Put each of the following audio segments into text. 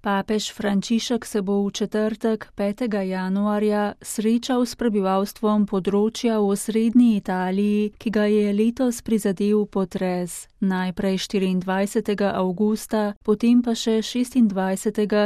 Papež Frančišek se bo v četrtek, 5. januarja, srečal s prebivalstvom področja v osrednji Italiji, ki ga je letos prizadel potres. Najprej 24. avgusta, potem pa še 26.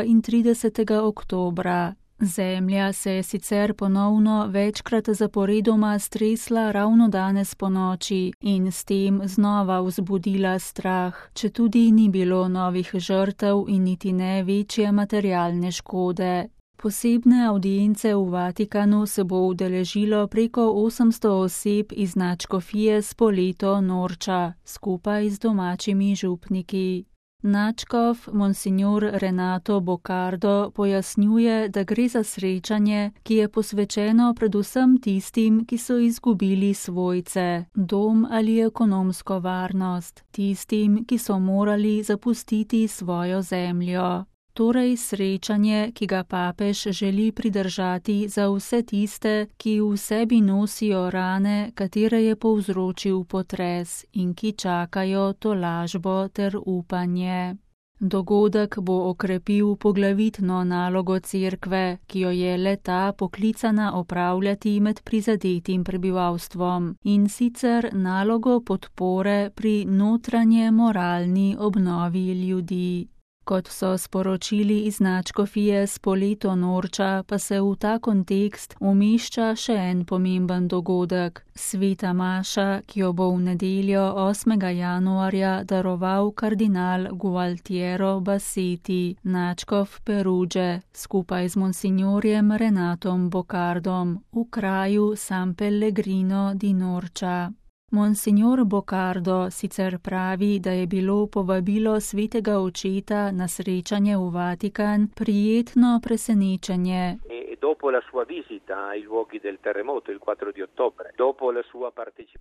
in 30. oktobra. Zemlja se je sicer ponovno večkrat zaporedoma stresla ravno danes ponoči in s tem znova vzbudila strah, četudi ni bilo novih žrtev in niti ne večje materialne škode. Posebne avdience v Vatikanu se bo udeležilo preko 800 oseb iz nadškofije Spoleto Norča, skupaj z domačimi župniki. Nadškof monsignor Renato Boccardo pojasnjuje, da gre za srečanje, ki je posvečeno predvsem tistim, ki so izgubili svojce, dom ali ekonomsko varnost, tistim, ki so morali zapustiti svojo zemljo. Torej srečanje, ki ga papež želi pridržati za vse tiste, ki v sebi nosijo rane, katere je povzročil potres in ki čakajo tolažbo ter upanje. Dogodek bo okrepil poglavitno nalogo cerkve, ki jo je le-ta poklicana opravljati med prizadetim prebivalstvom, in sicer nalogo podpore pri notranje moralni obnovi ljudi. Kot so sporočili iz nadškofije Spoleto Norča, pa se v ta kontekst umešča še en pomemben dogodek, sveta maša, ki jo bo v nedeljo 8. januarja daroval kardinal Gualtiero Bassetti, nadškof Peruge, skupaj z monsignorjem Renatom Boccardom v kraju San Pellegrino di Norča. Monsignor Boccardo sicer pravi, da je bilo povabilo svetega očeta na srečanje v Vatikan prijetno presenečenje.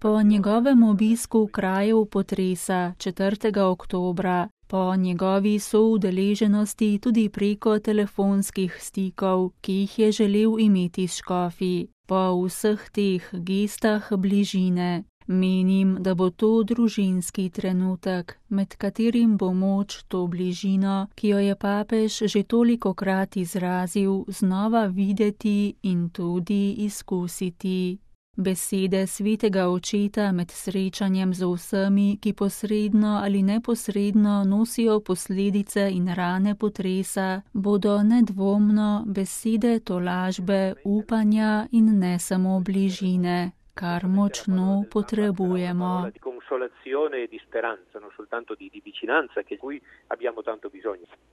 Po njegovem obisku krajev potresa 4. oktobra, po njegovi soudeleženosti tudi preko telefonskih stikov, ki jih je želel imeti s škofi, po vseh teh gestah bližine. Menim, da bo to družinski trenutek, med katerim bo moč to bližino, ki jo je papež že tolikokrat izrazil, znova videti in tudi izkusiti. Besede svetega očeta med srečanjem z vsemi, ki posredno ali neposredno nosijo posledice in rane potresa, bodo nedvomno besede tolažbe, upanja in ne samo bližine, kar močno potrebujemo.